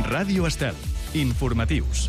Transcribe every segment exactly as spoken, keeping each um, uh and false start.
Ràdio Estel. Informatius.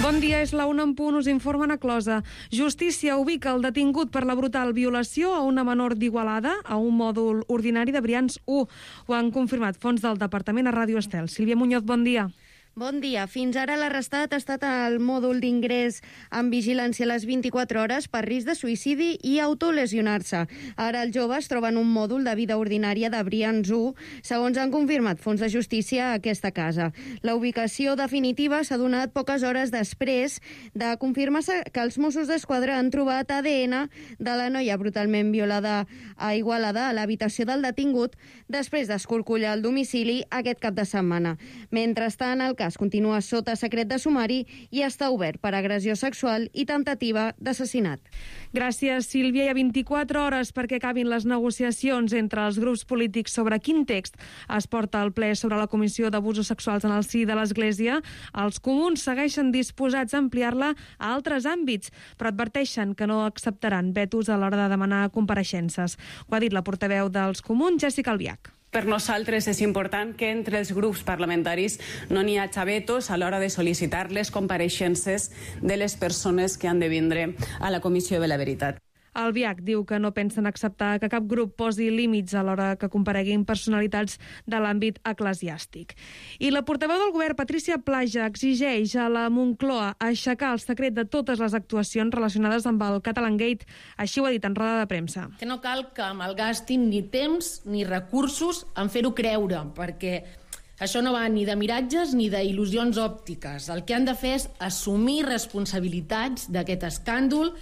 Bon dia, és la una en punt, us informen a Closa. Justícia ubica el detingut per la brutal violació a una menor d'Igualada a un mòdul ordinari de Brians u. Ho han confirmat fonts del Departament a Ràdio Estel. Sílvia Muñoz, bon dia. Bon dia. Fins ara l'arrestat ha estat al mòdul d'ingrés amb vigilància a les vint-i-quatre hores per risc de suïcidi i autolesionar-se. Ara el jove es troba en un mòdul de vida ordinària de Brians u, segons han confirmat fons de justícia a aquesta casa. La ubicació definitiva s'ha donat poques hores després de confirmar-se que els Mossos d'Esquadra han trobat A D N de la noia brutalment violada a Igualada a l'habitació del detingut després d'escorcollar el domicili aquest cap de setmana. Mentrestant, el cas continua sota secret de sumari i està obert per agressió sexual i temptativa d'assassinat. Gràcies, Sílvia. Hi ha vint-i-quatre hores perquè acabin les negociacions entre els grups polítics sobre quin text es porta al ple sobre la Comissió d'Abusos Sexuals en el si de l'Església. Els comuns segueixen disposats a ampliar-la a altres àmbits, però adverteixen que no acceptaran vetos a l'hora de demanar compareixences. Ho ha dit la portaveu dels comuns, Jessica Albiach. Per nosaltres és important que entre els grups parlamentaris no n'hi hagi vetos a l'hora de sol·licitar les compareixences de les persones que han de vindre a la Comissió de la Veritat. Albiach diu que no pensen acceptar que cap grup posi límits a l'hora que compareguin personalitats de l'àmbit eclesiàstic. I la portaveu del govern, Patricia Plaja, exigeix a la Moncloa aixecar el secret de totes les actuacions relacionades amb el Catalangate. Així ho ha dit en roda de premsa. Que no cal que malgastin ni temps ni recursos en fer-ho creure, perquè això no va ni de miratges ni d'il·lusions òptiques. El que han de fer és assumir responsabilitats d'aquest escàndol,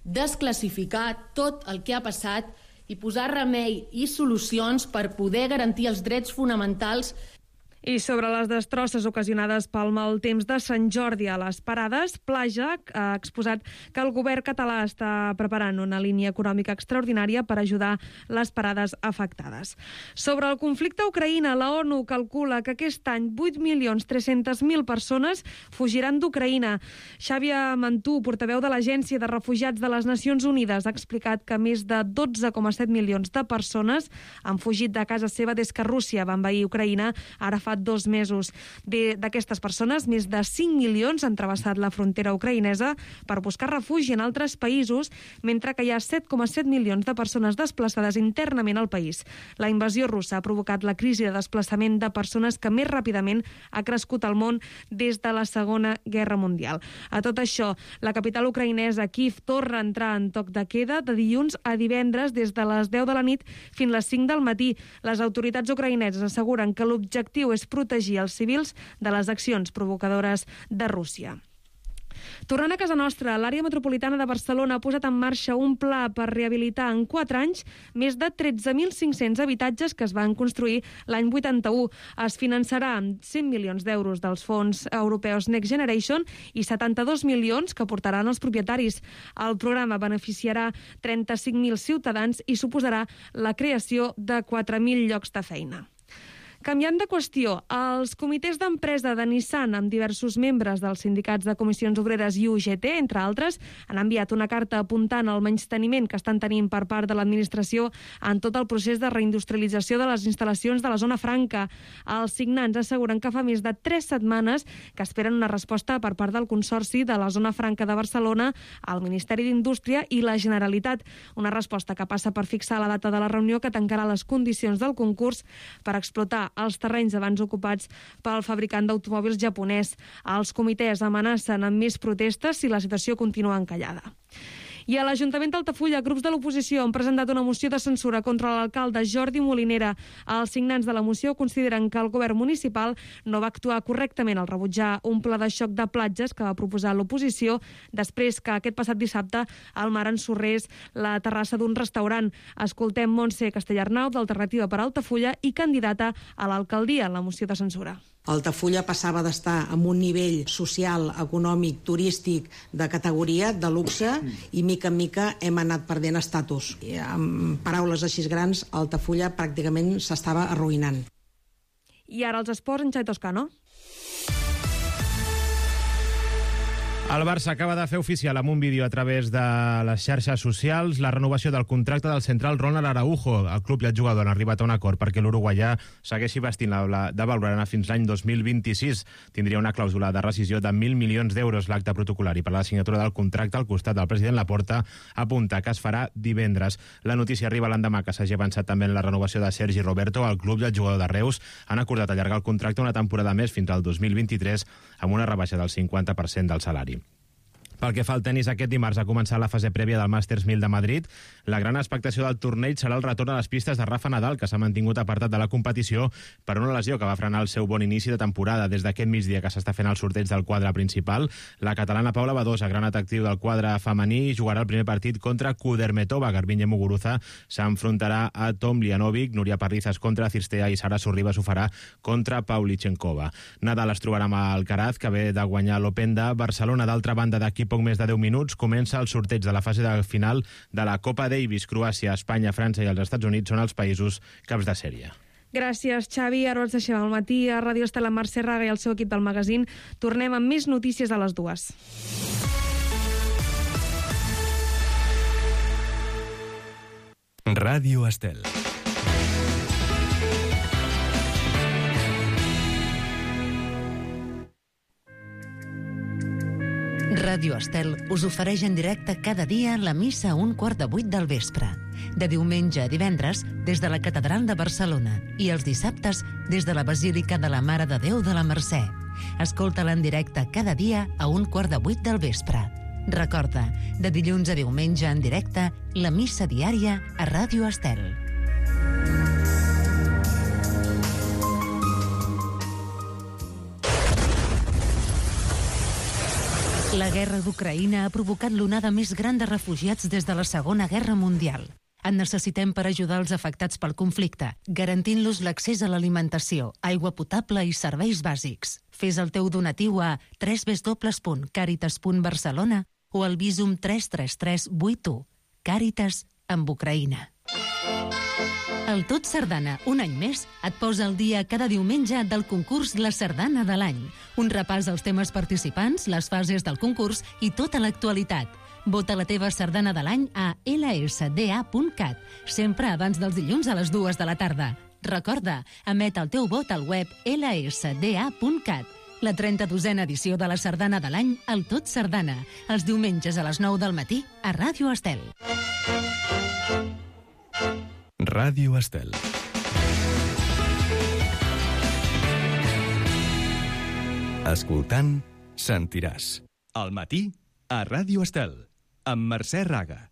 desclassificar tot el que ha passat i posar remei i solucions per poder garantir els drets fonamentals. I sobre les destrosses ocasionades pel mal temps de Sant Jordi a les parades, Plaja ha exposat que el govern català està preparant una línia econòmica extraordinària per ajudar les parades afectades. Sobre el conflicte a Ucraïna, la ONU calcula que aquest any vuit milions tres-centes mil persones fugiran d'Ucraïna. Xavier Mantú, portaveu de l'Agència de Refugiats de les Nacions Unides, ha explicat que més de dotze coma set milions de persones han fugit de casa seva des que Rússia va envair Ucraïna ara fa dos mesos. D'aquestes persones, més de cinc milions han travessat la frontera ucraïnesa per buscar refugi en altres països, mentre que hi ha set coma set milions de persones desplaçades internament al país. La invasió russa ha provocat la crisi de desplaçament de persones que més ràpidament ha crescut al món des de la Segona Guerra Mundial. A tot això, la capital ucraïnesa, Kíev, torna a entrar en toc de queda de dilluns a divendres des de les deu de la nit fins a les cinc del matí. Les autoritats ucraïneses asseguren que l'objectiu és protegir els civils de les accions provocadores de Rússia. Tornant a casa nostra, l'àrea metropolitana de Barcelona ha posat en marxa un pla per rehabilitar en quatre anys més de tretze mil cinc-cents habitatges que es van construir l'any vuitanta-u. Es finançarà amb cent milions d'euros dels fons europeus Next Generation i setanta-dos milions que aportaran els propietaris. El programa beneficiarà trenta-cinc mil ciutadans i suposarà la creació de quatre mil llocs de feina. Canviant de qüestió, els comitès d'empresa de Nissan, amb diversos membres dels sindicats de comissions obreres i U G T, entre altres, han enviat una carta apuntant al menysteniment que estan tenint per part de l'administració en tot el procés de reindustrialització de les instal·lacions de la zona franca. Els signants asseguren que fa més de tres setmanes que esperen una resposta per part del Consorci de la Zona Franca de Barcelona, el Ministeri d'Indústria i la Generalitat. Una resposta que passa per fixar la data de la reunió que tancarà les condicions del concurs per explotar els terrenys abans ocupats pel fabricant d'automòbils japonès. Els comitès amenacen amb més protestes si la situació continua encallada. I a l'Ajuntament d'Altafulla, grups de l'oposició han presentat una moció de censura contra l'alcalde Jordi Molinera. Els signants de la moció consideren que el govern municipal no va actuar correctament al rebutjar un pla de xoc de platges que va proposar l'oposició després que aquest passat dissabte el mar ensorrés la terrassa d'un restaurant. Escoltem Montse Castellarnau, d'Alternativa per Altafulla i candidata a l'alcaldia en la moció de censura. Altafulla passava d'estar en un nivell social, econòmic, turístic de categoria, de luxe, i mica en mica hem anat perdent estatus. I amb paraules així grans, Altafulla pràcticament s'estava arruïnant. I ara els esports, en Xavi Toscano. El Barça acaba de fer oficial amb un vídeo a través de les xarxes socials la renovació del contracte del central Ronald Araujo. El club i el jugador han arribat a un acord perquè l'uruguaià segueixi vestint la de blaugrana fins l'any dos mil vint-i-sis. Tindria una clàusula de rescisió de mil milions d'euros. L'acte protocolari per a la signatura del contracte al costat del president Laporta apunta que es farà divendres. La notícia arriba l'endemà que s'hagi avançat també en la renovació de Sergi Roberto. El club i el jugador de Reus han acordat allargar el contracte una temporada més fins al dos mil vint-i-tres amb una rebaixa del cinquanta per cent del salari. Pel que fa al tenis, aquest dimarts ha començat la fase prèvia del Masters mil de Madrid. La gran expectació del torneig serà el retorn a les pistes de Rafa Nadal, que s'ha mantingut apartat de la competició per una lesió que va frenar el seu bon inici de temporada. Des d'aquest migdia que s'està fent el sorteig del quadre principal, la catalana Paula Badosa, gran atractiu del quadre femení, jugarà el primer partit contra Kudermetova. Garbiñe Muguruza s'enfrontarà a Tom Lianovic, Núria Parrizas contra Cirstea i Sara Sorribas ho farà contra Pavlyuchenkova. Nadal es trobarà amb Alcaraz, que ve de guanyar l'Open de Barcelona. D'altra banda, d'aquí poc més de deu minuts comença el sorteig de la fase de final de la Copa Davis. Croàcia, Espanya, França i els Estats Units són els països caps de sèrie. Gràcies, Xavi. Ara els deixem al matí a Ràdio Estel amb Mercè Raga i el seu equip del magazín. Tornem amb més notícies a les dues. Ràdio Estel. Ràdio Estel us ofereix en directe cada dia la missa a un quart de vuit del vespre. De diumenge a divendres, des de la Catedral de Barcelona i els dissabtes des de la Basílica de la Mare de Déu de la Mercè. Escolta-la en directe cada dia a un quart de vuit del vespre. Recorda, de dilluns a diumenge en directe, la missa diària a Ràdio Estel. La guerra d'Ucraïna ha provocat l'onada més gran de refugiats des de la Segona Guerra Mundial. En necessitem per ajudar els afectats pel conflicte, garantint-los l'accés a l'alimentació, aigua potable i serveis bàsics. Fes el teu donatiu a w w w punt caritas punt barcelona o al Visum tres tres tres vuit u. Càritas amb Ucraïna. El Tot Sardana, un any més, et posa al dia cada diumenge del concurs La Sardana de l'any. Un repàs als temes participants, les fases del concurs i tota l'actualitat. Vota la teva sardana de l'any a l s d a punt cat, sempre abans dels dilluns a les dues de la tarda. Recorda, emet el teu vot al web l s d a punt cat. La trenta-dosena edició de la Sardana de l'any, el Tot Sardana, els diumenges a les nou del matí a Ràdio Estel. Ràdio Estel. Escoltant, sentiràs. Al matí, a Ràdio Estel, amb Mercè Raga.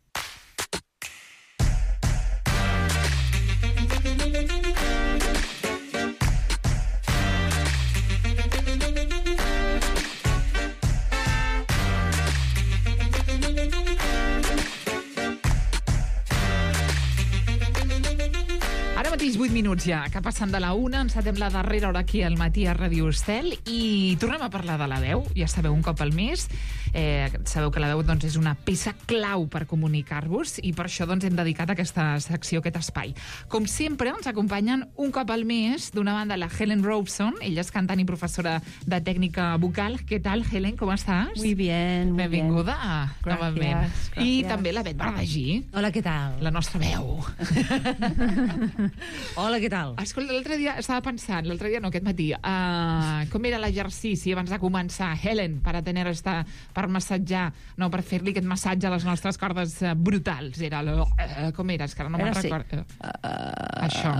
vuit minuts ja, que passen de la una, encetem la darrera hora aquí al matí a Ràdio Estel i tornem a parlar de la veu. Ja sabeu, un cop al mes. Eh, sabeu que la veu doncs, és una peça clau per comunicar-vos i per això doncs, hem dedicat aquesta secció, aquest espai. Com sempre, ens acompanyen un cop al mes, d'una banda, la Helen Robson. Ella és cantant i professora de tècnica vocal. Què tal, Helen? Com estàs? Muy bien, muy Benvinguda, bien. novament. Gràcies, I gràcies. també la Bet Bardagí. Hola, què tal? La nostra veu. Hola, què tal? Escolta, l'altre dia estava pensant, l'altre dia no, aquest matí, uh, com era l'exercici abans de començar, Helen, per a tener esta, per massatjar, no, per fer-li aquest massatge a les nostres cordes uh, brutals. Era lo, uh, com era? És que ara no me'n recordo. Uh, uh, Això.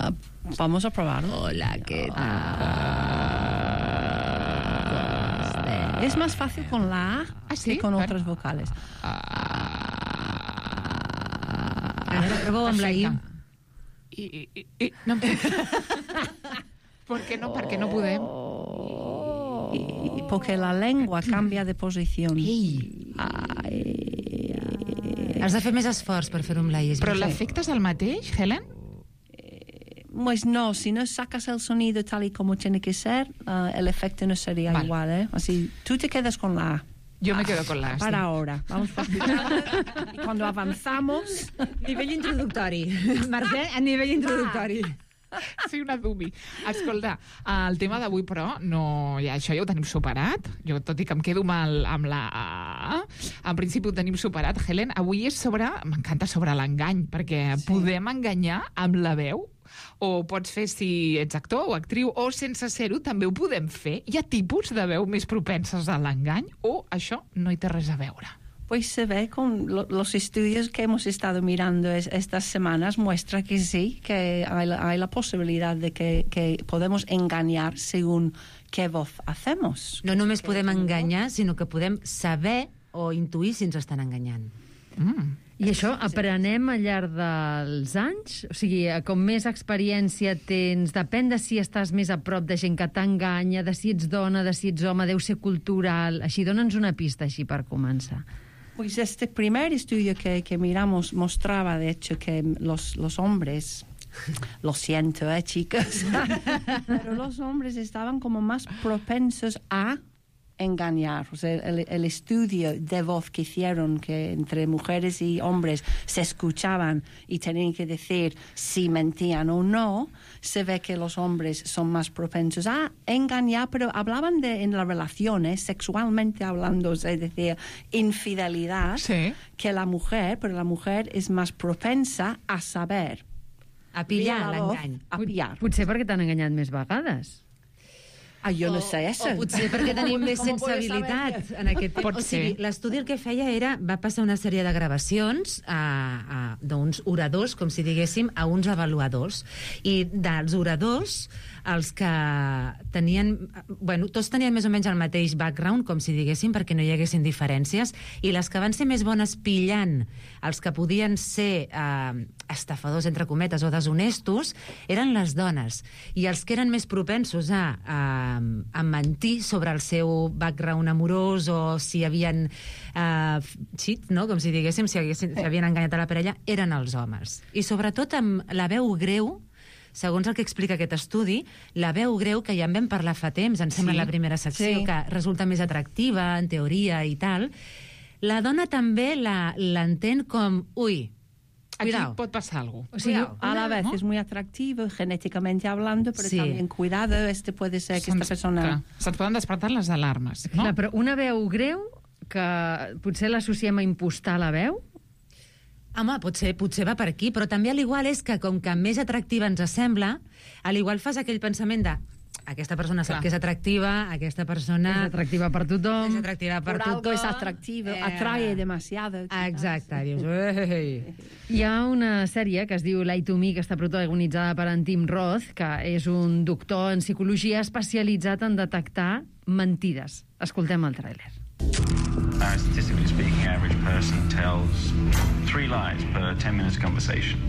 Uh, vamos a probarlo. Hola, ¿qué tal? Uh, es más fácil con la A ¿Ah, sí? que con Bueno. otras vocales. Pruebo amb la I. I, i, i, i no. ¿Por qué no? Per què no podem? Y, porque la lengua cambia de posición. Ei. Ai, Has de fer més esforç per fer-ho amb la I. Però l'efecte és el mateix, Helen? Pues no, si no sacas el sonido tal y como tiene que ser, uh, el efecto no sería vale. igual, ¿eh? Así, tú te quedas con la A. Yo me quedo con la A. Para sí. ahora. Vamos practicando. Y cuando avanzamos... Nivell introductori. Mercè, a nivell introductori. Sí, una dummy. Escolta, el tema d'avui, però, no, ja, això ja ho tenim superat. Jo, tot i que em quedo mal amb la A, en principi ho tenim superat. Helen, avui és sobre... M'encanta sobre l'engany, perquè sí. podem enganyar amb la veu, o pots fer si ets actor o actriu, o sense ser-ho també ho podem fer. Hi ha tipus de veu més propenses a l'engany, o això no hi té res a veure? Pues se ve con lo, los estudios que hemos estado mirando es, estas semanas, muestra que sí, que hay la, hay la posibilidad de que, que podemos engañar según qué voz hacemos. No només podem enganyar, sinó que podem saber o intuir si ens estan enganyant. Mm. I això aprenem al llarg dels anys? O sigui, com més experiència tens, depèn de si estàs més a prop de gent que t'enganya, de si ets dona, de si ets home, deu ser cultural. Així, dona'ns una pista així per començar. Pues este primer estudio que, que miramos mostraba, de hecho, que los, los hombres... Lo siento, eh, chicas. Pero los hombres estaban como más propensos a engañar. O sea, el, el estudio de voz que hicieron, que entre mujeres y hombres se escuchaban y tenían que decir si mentían o no, se ve que los hombres son más propensos a engañar, pero hablaban de en las relaciones, sexualmente hablando, es decir, infidelidad, sí. que la mujer, pero la mujer es más propensa a saber. A pillar l'engany. A pillar. Potser perquè t'han enganyat més vegades. Ah, jo no sé això. O potser perquè tenim més sensibilitat en aquest tema. Pot o sigui, l'estudi el que feia era, va passar una sèrie de gravacions a, a, d'uns oradors, com si diguéssim, a uns avaluadors. I dels oradors, els que tenien... Bueno, tots tenien més o menys el mateix background, com si diguéssim, perquè no hi haguessin diferències, i les que van ser més bones pillant els que podien ser eh, estafadors, entre cometes, o deshonestos, eren les dones. I els que eren més propensos a... a a mentir sobre el seu background amorós o si havien uh, cheat, no? Com si diguéssim, si, haguessin, si havien enganyat a la parella, eren els homes. I sobretot amb la veu greu, segons el que explica aquest estudi, la veu greu, que ja en vam parlar fa temps, em sembla, sí, la primera secció, sí, que resulta més atractiva, en teoria i tal, la dona també l'entén com, ui, cuidado. Aquí pot passar alguna cosa. O sea, a la vez, ¿no? Es muy atractivo, genéticamente hablando, pero sí, también cuidado, este puede ser que esta persona... Se'ns poden despertar les alarmes, no? Clar, però una veu greu, que potser l'associem a impostar la veu? Home, potser, potser va per aquí, però també a l'igual és que com que més atractiva ens sembla, a l'igual fas aquell pensament de aquesta persona sap que és atractiva, aquesta persona... És atractiva per tothom. És atractiva per Por tothom. algo es atractivo, eh... atrae demasiado. Exacte, dius... Ei. Hi ha una sèrie que es diu Lie to Me, que està protagonitzada per en Tim Roth, que és un doctor en psicologia especialitzat en detectar mentides. Escoltem el tràiler. Uh, statistically speaking, average person tells three lies per ten minutes conversation.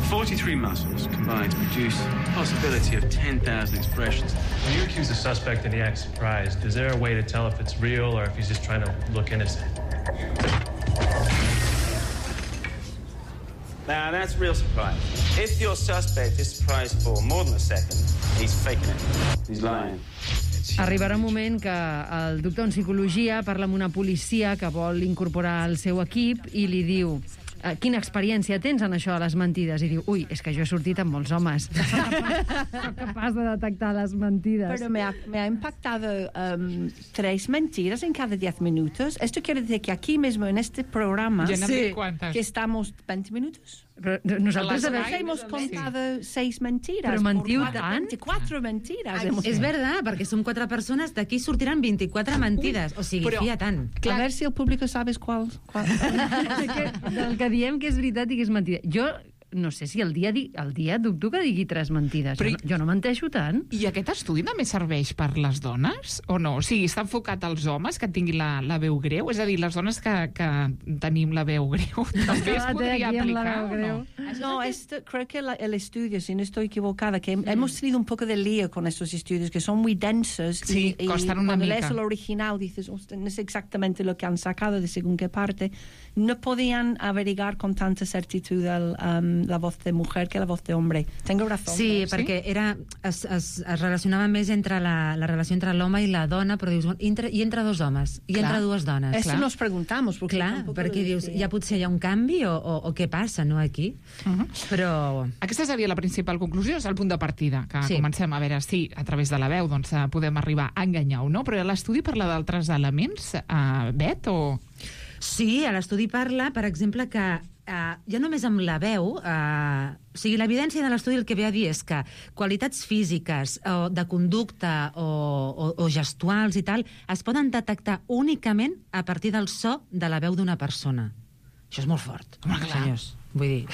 forty-three muscles combine to produce the possibility of ten thousand expressions. When you accuse a suspect and he acts surprised, is there a way to tell if it's real or if he's just trying to look innocent? Now, that's real surprise. If your suspect is surprised for more than a second, he's faking it. He's lying. Arribarà un moment que el doctor en psicologia parla amb una policia que vol incorporar al seu equip i li diu: quina experiència tens en això de les mentides? I diu, ui, és que jo he sortit amb molts homes. Soc capaç de detectar les mentides. Pero me ha, me ha impactado um, tres mentiras en cada diez minutos. Esto quiere decir que aquí mismo, en este programa, sí, que estamos veinte minutos. Però nosaltres hemos contado sí. seis mentiras. Però mentiu tant? veinticuatro mentiras. Ai, és verdad, perquè som quatre persones, d'aquí sortiran veinticuatro mentides. O sigui, però, fia tant. Clar. A ver si el público sabes cuál... cuál. Del que diem que és veritat i que és mentida. Jo no sé si el dia, el dia dubto que digui tres mentides. Però, jo, no, jo no menteixo tant. I aquest estudi també serveix per les dones? O no? O sigui, està enfocat als homes que tinguin la, la veu greu? És a dir, les dones que, que tenim la veu greu també es podria aplicar o no? No, esto, creo que la, el estudio, si no estoy equivocada, que mm. hemos tenido un poco de lío con estos estudios que son muy densos. Sí, y, costan y una cuando mica. lees el original dices, no es exactamente lo que han sacado de según qué parte. No podían averiguar con tanta certitud el... Um, la voz de mujer que la voz de hombre. Tengo razón. Sí, ¿no? perquè era, es, es, es relacionava més entre la, la relació entre l'home i la dona, però dius, entre, i entre dos homes, i Clar. entre dues dones. Eso Clar. nos preguntamos. Porque Clar, perquè dius, ja potser hi ha un canvi o, o, o què passa, no, aquí? Uh -huh. Però... Aquesta seria la principal conclusió, és el punt de partida, que Sí. comencem a veure si a través de la veu doncs, eh, podem arribar a enganyar o no, però l'estudi parla d'altres elements, uh, Bet, o...? Sí, a l'estudi parla, per exemple, que Uh, ja només amb la veu, uh, o sigui, l'evidència de l'estudi el que ve a dir és que qualitats físiques o de conducta o, o, o gestuals i tal es poden detectar únicament a partir del so de la veu d'una persona. Això és molt fort, Home, clar. senyors. Vull dir,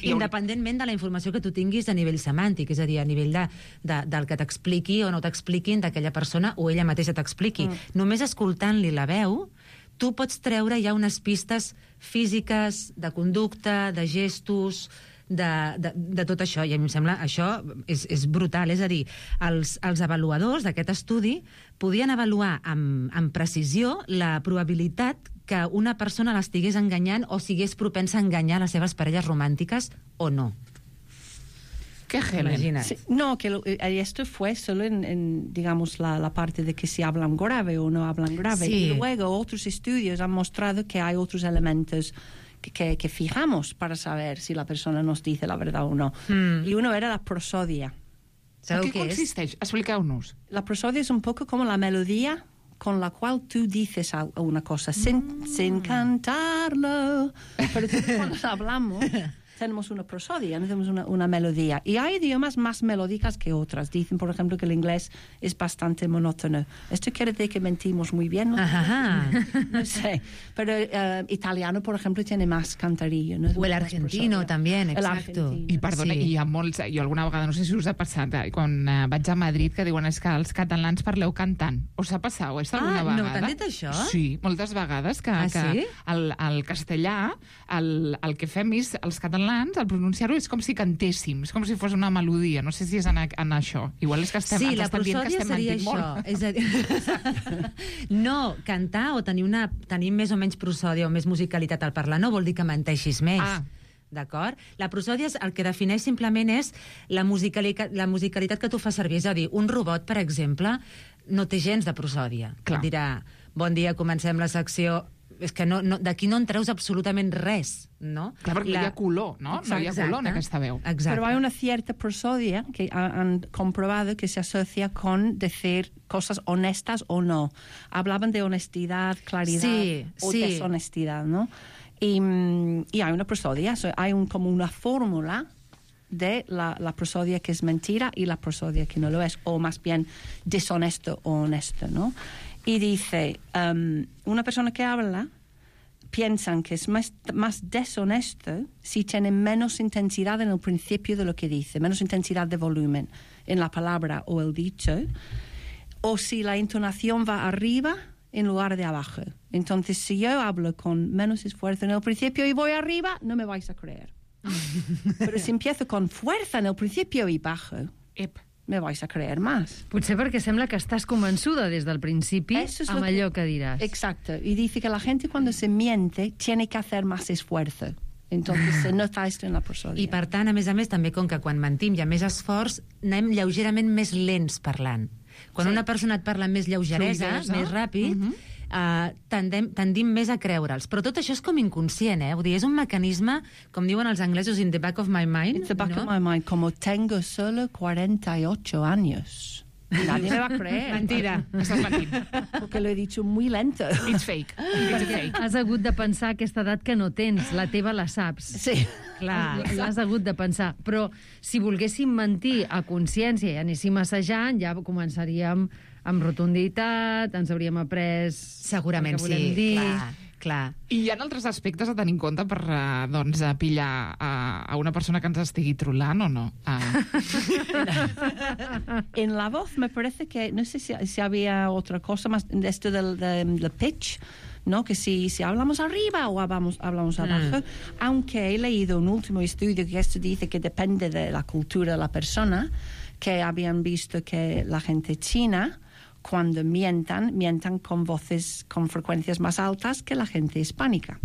independentment de la informació que tu tinguis a nivell semàntic, és a dir, a nivell de, de, del que t'expliqui o no t'expliquin d'aquella persona o ella mateixa t'expliqui. Mm. Només escoltant-li la veu, tu pots treure ja unes pistes físiques, de conducta, de gestos, de, de, de tot això. I a mi em sembla això és, és brutal. És a dir, els, els avaluadors d'aquest estudi podien avaluar amb, amb precisió la probabilitat que una persona l'estigués enganyant o sigués propensa a enganyar les seves parelles romàntiques o no. ¿Qué, Helen? Sí, no, que lo, eh, esto fue solo en, en digamos, la, la parte de que si hablan grave o no hablan grave. Sí. Y luego otros estudios han mostrado que hay otros elementos que, que, que fijamos para saber si la persona nos dice la verdad o no. Mm. Y uno era la prosodia. ¿En qué consiste? Expliqueu-nos. La prosodia es un poco como la melodía con la cual tú dices una cosa sin, mm. sin cantarlo. Pero cuando hablamos... tenemos una prosodia, no tenemos una, una melodía. Y hay idiomas más melódicas que otras. Dicen, por ejemplo, que el inglés es bastante monótono. Esto quiere decir que mentimos muy bien, ¿no? Ajá. No sé. Pero uh, italiano, por ejemplo, tiene más cantarillo, ¿no? O el argentino también, exacto. I perdona, sí. Hi ha molts... Jo alguna vegada, no sé si us ha passat, eh, quan eh, vaig a Madrid, que diuen és que els catalans parleu cantant. Us ha passat o és alguna ah, vegada? No, t'han dit això? Sí, moltes vegades que, ah, que sí? el, el castellà, el, el que fem és, els catalans, al pronunciar-ho és com si cantéssim, és com si fos una melodia. No sé si és en, en això. Igual és que estem, sí, ens estem dient que estem seria mentint això. molt. És a dir, no, cantar o tenir, una, tenir més o menys prosòdia o més musicalitat al parlar no vol dir que menteixis més. Ah. D'acord? La prosòdia el que defineix simplement és la musicalitat, la musicalitat que tu fas servir. És a dir, un robot, per exemple, no té gens de prosòdia. Clar. Et dirà, bon dia, comencem la secció... És que no, no, d'aquí no en treus absolutament res, no? Clar, perquè la... hi ha color, no? Exacte. No hi ha color en aquesta veu. Exacte. Pero hay una cierta prosodia que han comprobado que se asocia con decir cosas honestas o no. Hablaban de honestidad, claridad sí, o sí. deshonestidad, ¿no? Y, y hay una prosodia, hay un, como una fórmula de la, la prosodia que es mentira y la prosodia que no lo es, o más bien deshonesto o honesto, ¿no? Y dice, um, una persona que habla piensan que es más, más deshonesto si tiene menos intensidad en el principio de lo que dice, menos intensidad de volumen en la palabra o el dicho, o si la entonación va arriba en lugar de abajo. Entonces, si yo hablo con menos esfuerzo en el principio y voy arriba, no me vais a creer. Pero si empiezo con fuerza en el principio y bajo... Ep. me vais a creer más. Potser perquè sembla que estàs convençuda des del principi amb allò que diràs. Exacto. Y dice que la gente cuando se miente tiene que hacer más esfuerzo. Entonces se nota esto en la prosodia. I per tant, a més a més, també com que quan mentim hi ha més esforç, anem lleugerament més lents parlant. Quan Sí. una persona et parla amb més lleugeresa, Fluidesa. més ràpid, Mhm. uh, tendem, tendim més a creure'ls. Però tot això és com inconscient, eh? Vull dir, és un mecanisme, com diuen els anglesos, in the back of my mind. In the back no? of my mind, como tengo solo cuarenta y ocho años. Nadie me va a creer. Mentira. Estàs mentint. Porque lo he dicho muy lento. It's fake. It's fake. Has hagut de pensar aquesta edat que no tens, la teva la saps. Sí. Clar, l'has hagut de pensar. Però si volguéssim mentir a consciència i anéssim assajant, ja començaríem amb rotunditat, ens hauríem après... Segurament el que volem sí, dir. clar, clar. I hi ha altres aspectes a tenir en compte per eh, doncs, a pillar a, a una persona que ens estigui trolant o no? Ah. En la voz me parece que, no sé si, si había otra cosa más de esto del, del, del pitch, ¿no? Que si, si hablamos arriba o hablamos, hablamos abajo, mm. aunque he leído un último estudio que esto dice que depende de la cultura de la persona, que habían visto que la gente china, cuando mientan, mientan con voces, con frecuencias más altas que la gente hispánica.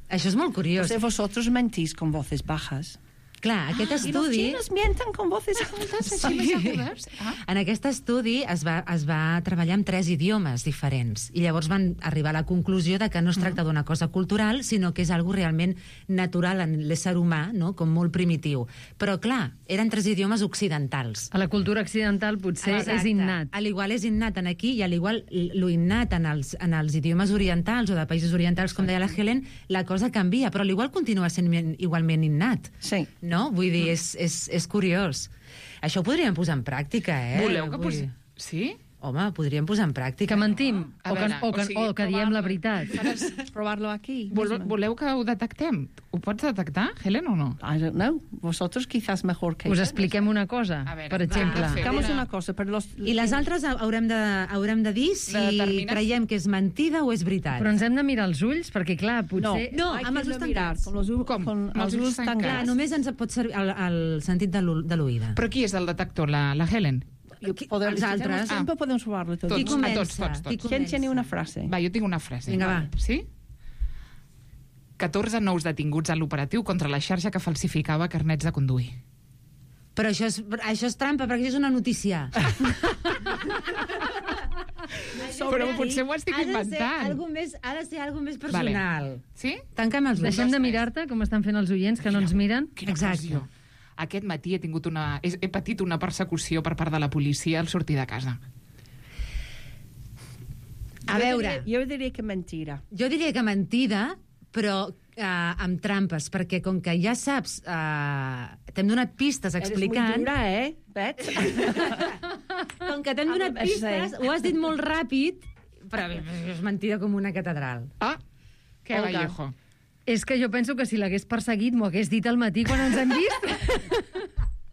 Això és molt curiós. O sea, vosotros mentís con voces bajas. Clar, aquest Ah, y los estudi... chinos mienten con voces altas, així més agudats. Ah. En aquest estudi es va, es va treballar amb tres idiomes diferents i llavors van arribar a la conclusió de que no es tracta d'una cosa cultural, sinó que és algo realment natural en l'ésser humà, no? Com molt primitiu. Però, clar, eren tres idiomes occidentals. A la cultura occidental potser Exacte. és innat. A l'igual és innat en aquí i a l'igual lo innat en els, en els idiomes orientals o de països orientals, com deia la Helen, la cosa canvia, però a l'igual continua sent igualment innat. Sí. No? Vull dir, és, és, és curiós. Això ho podríem posar en pràctica, eh? Voleu que Vull posi... dir, Sí? Home, podríem posar en pràctica. Que mentim, A o que, veure, o que, o sigui, o que diem la veritat. Probarlo aquí. Vol, voleu que ho detectem? Ho pots detectar, Helen, o no? I don't know. Vosotros quizás mejor que Us yo. expliquem una cosa, A veure, per exemple. va, Hagamos una cosa, pero los... I les altres haurem de, haurem de dir si determines- creiem que és mentida o és veritat. Però ens hem de mirar els ulls, perquè, clar, No, potser... No, hay amb que els ulls mirar, tancats. con los, u- Com? con Amb els els ulls ulls tancats. Clar, tancats. només ens pot servir el, el sentit de l'u- de l'oïda. Però qui és el detector, la, la Helen? Podem, Els si altres. tenemos tiempo, podemos probarlo todo. Qui Tots, comença? a tots, tots, tots. Qui ¿Quién comença? tiene una frase? Va, jo tinc una frase. Vinga, va. Sí? catorze nous detinguts a l'operatiu contra la xarxa que falsificava carnets de conduir. Però això és, això és trampa, perquè això és una notícia. Però potser ho estic ha de ser inventant. algo més, ha de ser algo més personal. Vale. Sí? Tanca'm els ulls. Deixem de mirar-te, com estan fent els oients, que no ens miren. Quina Exacte. pressió. Aquest matí he tingut una... He, he patit una persecució per part de la policia al sortir de casa. A veure, Jo diria que mentira. jo diria que mentida, però eh, amb trampes, perquè com que ja saps, eh, t'hem donat pistes explicant... Eres muy dura, eh, Bet? Com que t'hem donat Ah, pistes, sí. ho has dit molt ràpid, però és mentida com una catedral. Ah, que Olga. Vallejo. És que jo penso que si l'hagués perseguit m'ho hagués dit al matí quan ens hem vist.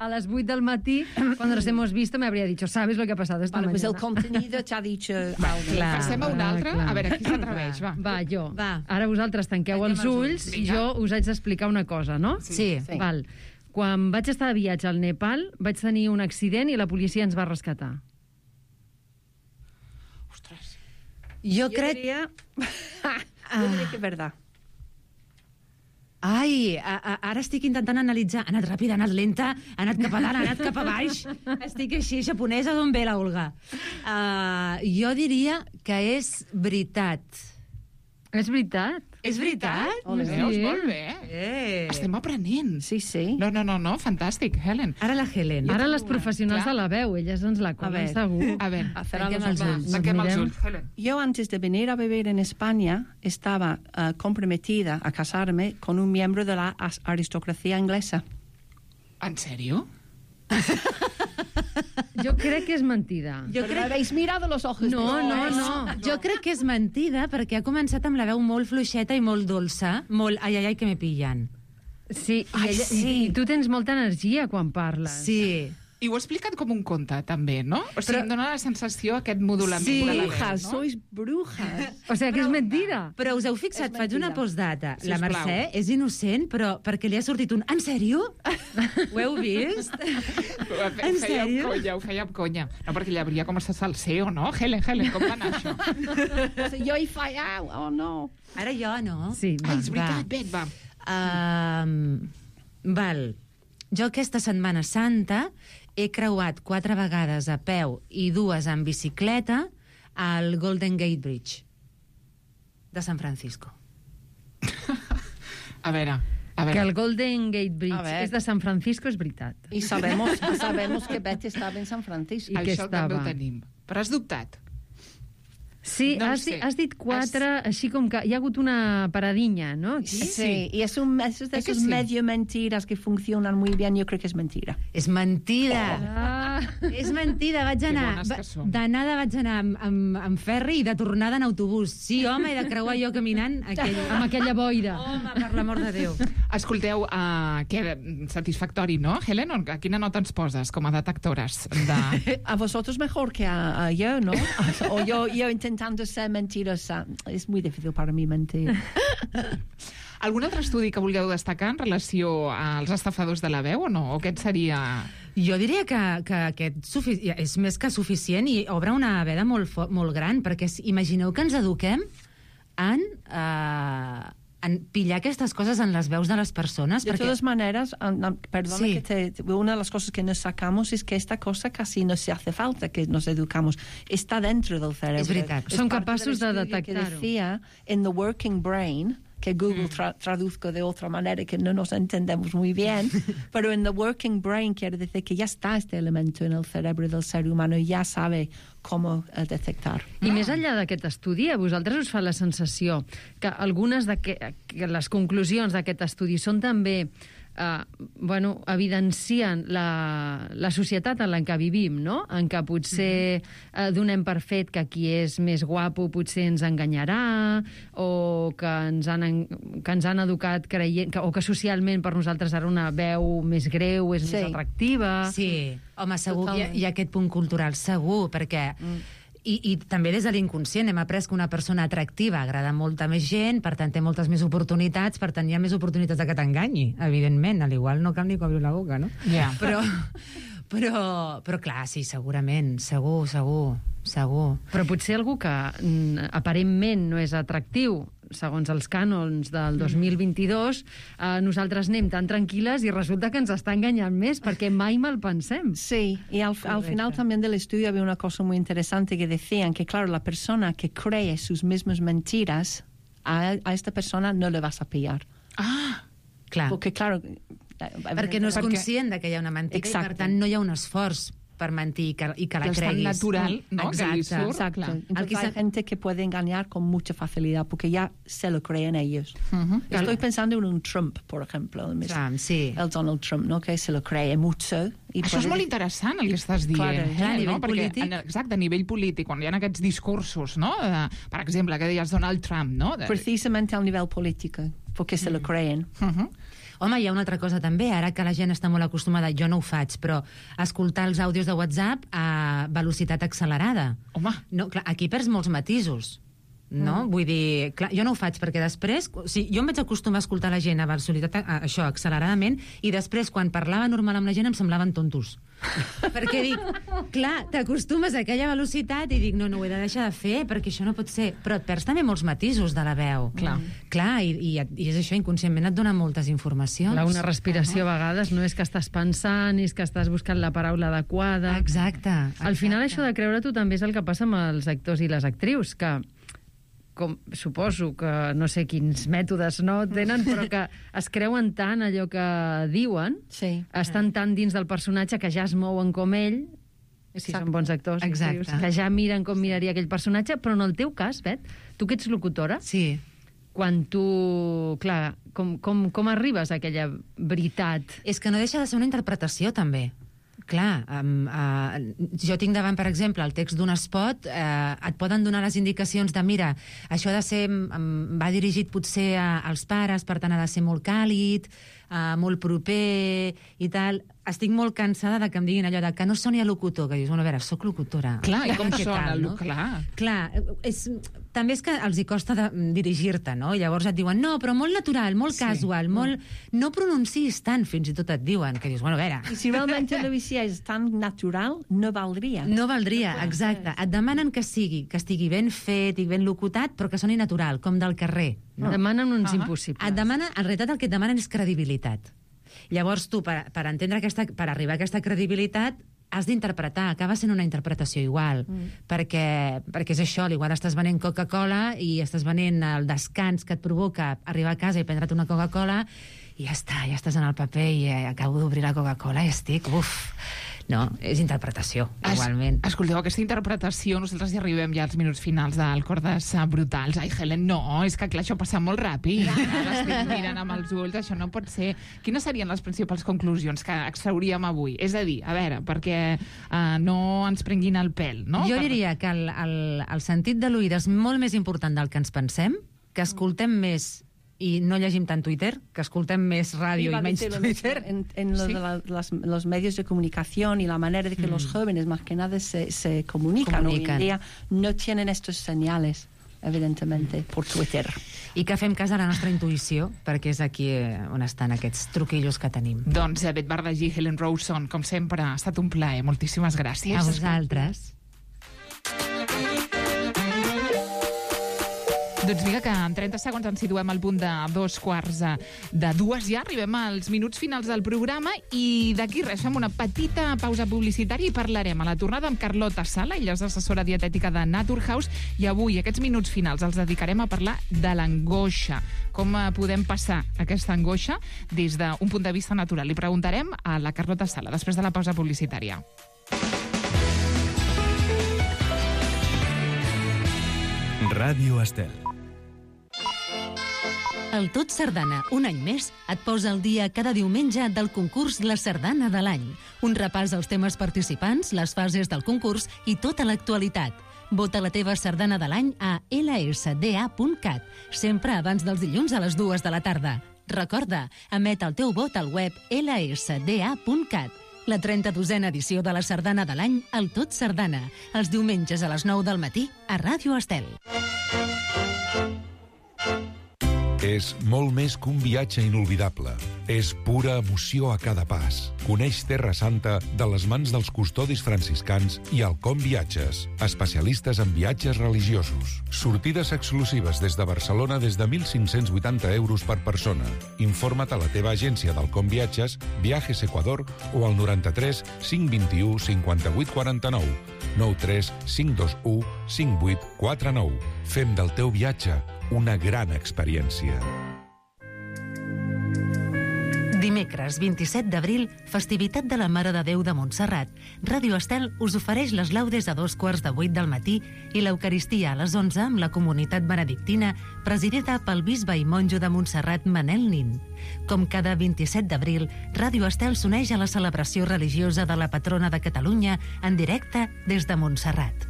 A les vuit del matí, cuando nos hemos visto, me habría dicho, ¿sabes lo que ha pasado esta Vale, pues el mañana? contenido te ha dicho... Clar. Passem a una Ah, altra? clar. A veure, qui s'atreveix, va. Va, jo. Va. Ara vosaltres tanqueu Tanquem els els ulls ulls. i jo us haig d'explicar una cosa, no? Sí. Sí. Val. Quan vaig estar de viatge al Nepal, vaig tenir un accident i la policia ens va rescatar. Ostres. Jo Jo crec... diria... jo diria que és verdad. Ai, a, a, ara estic intentant analitzar. Ha anat ràpid, ha anat lenta, ha anat cap a dalt, ha anat cap a baix. Estic així, japonesa, d'on ve la Olga? Uh, jo diria que és veritat. És veritat? És veritat? Ole, veus? Molt bé. Eh. Estem aprenent. Sí, sí. No, no, no, no, fantàstic, Helen. Ara la Helen. Ara les professionals Clar. de la veu, elles ens la A comen ver. segur. A veure, Cerrar Tanquem los els ojos. ulls. tanquem els mirem. ulls, Helen. Yo antes de venir a vivir en España estaba eh, comprometida a casarme con un miembro de la as- aristocracia inglesa. En sèrio? Jo crec que és mentida. Jo Pero me crec, habéis mirado los ojos. No, de- no, no. jo crec que és mentida perquè ha començat amb la veu molt fluixeta i molt dolça, molt ai, ai, ai, que me pillan. Sí, i, Ai, ella, sí. i tu tens molta energia quan parles. Sí. I ho he explicat com un conte, també, no? O sigui, Però- em dona la sensació aquest modulament Sí. de la veu, Brujas, no? sois brujas. O sigui que és mentida. Però us heu fixat, És faig una mentida. postdata. La Sisplau. Mercè és innocent, però perquè li ha sortit un... En sèrio? Ho heu vist? Ho fe- En feia amb sèrio? conya, ho feia amb conya. No, perquè ella hauria com a salseo, no? Helen, Helen, com va anar això? Jo he fallat, oh no. Ara jo, no? Sí, va. Ai, és veritat, Bet, va. Um, val. Jo aquesta Setmana Santa he creuat quatre vegades a peu i dues en bicicleta al Golden Gate Bridge de San Francisco. A veure, a Que veure. el Golden Gate A Bridge ver. és de San Francisco, és veritat. Y sabemos, sabemos que Betty estaba en San Francisco. I que Això també ho estava. tenim. Però has dubtat? Sí, No ho has, sé. di- has dit quatre, així com que hi ha hagut una paradinya, no? Aquí? Sí, y es, un, es de ¿Es que esos sí? medio mentiras que funcionan muy bien. Yo creo que es mentira. És mentida! Ah, És mentida, vaig Que anar... bones que va- som. D'anada vaig anar amb, amb, amb ferri i de tornada en autobús. Sí, home, he de creuar jo caminant aquell... amb aquella boira. Home, per l'amor de Déu. Escolteu, uh, que satisfactori, no, Helen? A quina nota ens poses com a detectores? De... A vosotros mejor que a, a yo, ¿no? O yo, yo intentando ser mentirosa. Es muy difícil para mí mentir. Algun altre estudi que vulgueu destacar en relació als estafadors de la veu o no? O aquest seria... Jo diria que, que aquest sufici... és més que suficient i obre una veda molt, fo- molt gran, perquè s- imagineu que ens eduquem en, eh, en pillar aquestes coses en les veus de les persones. De perquè... todas maneras, perdona Sí. que te, una de las cosas que nos sacamos es que esta cosa casi no se hace falta que nos educamos. Está dentro del cerebro. Es veritat. Es Són parte capaços del de estudio que detectar-ho. decía, in the working brain, que Google tra traduzco de otra manera que no nos entendemos muy bien, pero en the working brain quiere decir que ya está este elemento en el cerebro del ser humano y ya sabe cómo uh, detectar. I més enllà d'aquest estudi, a vosaltres us fa la sensació que algunes de que, que les conclusions d'aquest estudi són també eh, bueno, evidencien la, la societat en la que vivim, no? En què potser eh, donem per fet que qui és més guapo potser ens enganyarà, o que ens han, en- que ens han educat creient, que, o que socialment per nosaltres ara una veu més greu és Sí. més atractiva. Sí, home, segur que hi ha, Totalment. hi ha aquest punt cultural, segur, perquè... Mm. I, I també des de l'inconscient hem après que una persona atractiva agrada molta més gent, per tant té moltes més oportunitats, per tant hi ha més oportunitats de que t'enganyi, evidentment, a l'igual no cal ni que obri la boca, no? Ja. Però, però, però clar, sí, segurament, segur, segur, segur. Però potser algú que mm, aparentment no és atractiu, segons els cànons del dos mil vint-i-dos, eh, nosaltres anem tan tranquil·les i resulta que ens està enganyant més, perquè mai mal pensem. Sí, y al, al final también del estudio había una cosa muy interesante que decían que, claro, la persona que cree sus mismas mentiras, a, a esta persona no le vas a pillar. Ah, clar. Porque, claro... Perquè no és Perquè- conscient de que hi ha una mentida i, Exacte. per tant, no hi ha un esforç per mentir i que, i que la Que es tan creguis. natural, ¿no? Exacte. Que li surt, Exacto. Clar. Entonces El que hay s'ha- gente que puede engañar con mucha facilidad porque ya se lo creen ellos. Uh-huh. Estoy pensando en un Trump, por ejemplo. El, Trump, sí. el Donald Trump, ¿no? Que se lo cree mucho. Y Això és molt interessant, el que estàs dient. Claro, eh, clar, a no? nivell Perquè, polític. en, exacte, a nivell polític, quan hi ha aquests discursos, no? De, per exemple, que deies Donald Trump, no? De... Precisamente al nivel político, porque se lo creen. Uh-huh. Home, hi ha una altra cosa també, ara que la gent està molt acostumada, jo no ho faig, però escoltar els àudios de WhatsApp a velocitat accelerada. Home. No, clar, aquí perds molts matisos, no? Mm. Vull dir, clar, jo no ho faig perquè després... O sigui, jo em vaig acostumar a escoltar la gent a velocitat, a, això, acceleradament, i després, quan parlava normal amb la gent, em semblaven tontos. Perquè dic, clar, t'acostumes a aquella velocitat i dic, no, no ho he de deixar de fer, perquè això no pot ser. Però et perds també molts matisos de la veu. Clar. Clar, i, i, i és això, inconscientment et dona moltes informacions. Clar, una respiració a vegades no és que estàs pensant, és que estàs buscant la paraula adequada. Exacte. Al final això de creure tu també és el que passa amb els actors i les actrius, que com suposo que no sé quins mètodes no tenen, però que es creuen tant allò que diuen, sí. estan tan dins del personatge que ja es mouen com ell, si són bons actors, Exacte. actrius, que ja miren com miraria aquell personatge, però en el teu cas, Bet, tu que ets locutora, sí. quan tu... Clar, com, com, com arribes a aquella veritat? És que no deixa de ser una interpretació, també. Clar, um, uh, jo tinc davant, per exemple, el text d'un spot, uh, et poden donar les indicacions de, mira, això ha de ser, um, va dirigit potser a, als pares, per tant ha de ser molt càlid, uh, molt proper i tal. Estic molt cansada de que em diguin allò de que no soni a locutor, que dius, bueno, a veure, soc locutora. Clar, i com Què sona? tal, no? Clar. Clar, és, també és que els hi costa de, dirigir-te, no? Llavors et diuen, no, però molt natural, molt Sí. casual, molt... No pronunciïs tant, fins i tot et diuen, que dius, bueno, a veure... Y si realmente lo hicieras tan natural, no valdría. No valdria, exacte. Et demanen que sigui, que estigui ben fet i ben locutat, però que soni natural, com del carrer. No? Demanen uns Ah. impossibles. Et demanen, en realitat el que et demanen és credibilitat. Llavors tu, per, per entendre aquesta, per arribar a aquesta credibilitat, has d'interpretar, acaba sent una interpretació igual, mm. perquè, perquè és això, igual estàs venent Coca-Cola i estàs venent el descans que et provoca arribar a casa i prendre't una Coca-Cola i ja està, ja estàs en el paper i eh, acabo d'obrir la Coca-Cola i estic, uf... No, és interpretació, Es, igualment. Escolteu, aquesta interpretació, nosaltres ja arribem ja als minuts finals del Cordes Brutals. Ai, Helen, no, és que clar, això passa molt ràpid. Ara l'estic mirant amb els ulls, això no pot ser. Quines serien les principals conclusions que extrauríem avui? És a dir, a veure, perquè uh, no ens prenguin el pèl, no? Jo Per- diria que el, el, el sentit de l'oïda és molt més important del que ens pensem, que escoltem més i no llegim tant Twitter, que escoltem més ràdio Iba i a menys decir lo Twitter. mismo, En, en lo Sí. de la- las- los medios de comunicación y la manera de que los jóvenes más que nada se, se comunican, hoy Comunican. en día, no tienen estos señales, evidentemente, por Twitter. I que fem cas a la nostra intuïció, perquè és aquí eh, on estan aquests truquillos que tenim. Doncs Bet Bardagí, Helen Rawson, com sempre, ha estat un plaer. Moltíssimes gràcies. A vosaltres. Doncs vinga, que en trenta segons ens situem al punt de dos quarts de dues ja. Arribem als minuts finals del programa i d'aquí res, fem una petita pausa publicitària i parlarem a la tornada amb Carlota Sala. Ella és assessora dietètica de Naturhaus i avui aquests minuts finals els dedicarem a parlar de l'angoixa. Com podem passar aquesta angoixa des d'un punt de vista natural? Li preguntarem a la Carlota Sala després de la pausa publicitària. Ràdio Estel. El Tot Sardana, un any més, et posa al dia cada diumenge del concurs La Sardana de l'any. Un repàs als temes participants, les fases del concurs i tota l'actualitat. Vota la teva sardana de l'any a ela esse de a punt cat, sempre abans dels dilluns a les dues de la tarda. Recorda, emet el teu vot al web ela esse de a punt cat. La trenta-dosena edició de la Sardana de l'any, el Tot Sardana, els diumenges a les nou del matí a Ràdio Estel. És molt més que un viatge inolvidable. És pura emoció a cada pas. Coneix Terra Santa de les mans dels custodis franciscans i Alcom Viatges, especialistes en viatges religiosos. Sortides exclusives des de Barcelona des de mil cinc-cents vuitanta euros per persona. Informa't a la teva agència d'Alcom Viatges, Viajes Ecuador o al noranta-tres cinc vint-i-u cinquanta-vuit quaranta-nou, nou tres cinc dos u cinc vuit quatre nou. Fem del teu viatge una gran experiència. Dimecres, vint-i-set d'abril, festivitat de la Mare de Déu de Montserrat. Ràdio Estel us ofereix les laudes a dos quarts de vuit del matí i l'Eucaristia a les onze amb la comunitat benedictina presidida pel bisbe i monjo de Montserrat Manel Nin. Com cada vint-i-set d'abril, Ràdio Estel s'uneix a la celebració religiosa de la patrona de Catalunya en directe des de Montserrat.